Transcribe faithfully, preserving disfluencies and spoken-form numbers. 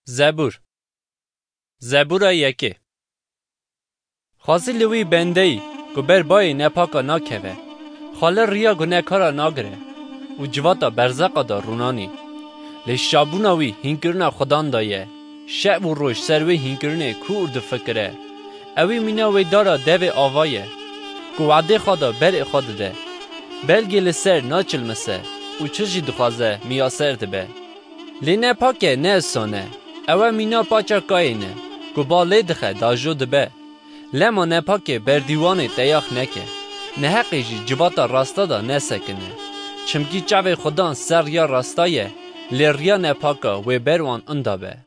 Zebûr. Zebûra yekê. Xwazî li wî bendeyî ku ber bayê nepaka nakeve, xwe li riya gunekara nagire û civata berzeqa de rûnanî. Lê şabûna wî hînkirina Xudan de ye. Şev û roj ser wê hînkirinê kûr difikire. Ewî mîna wê dara devê ava ye, ku wadê xwe de berê xwe dide. Belgê li ser naçilmise û çi jî dixwaze miyaser dibe. Lê nepake ne isan e, ew e mîna paça Kayên e, ku ba lê dixe dajo dibe. Lema nepakê berdîwanê teyax neke, neheqê jî civata rasta de nesekine. Çimkî çavê Xudan ser riya rasta ye, lê riya nepaka wê ber wan inda be.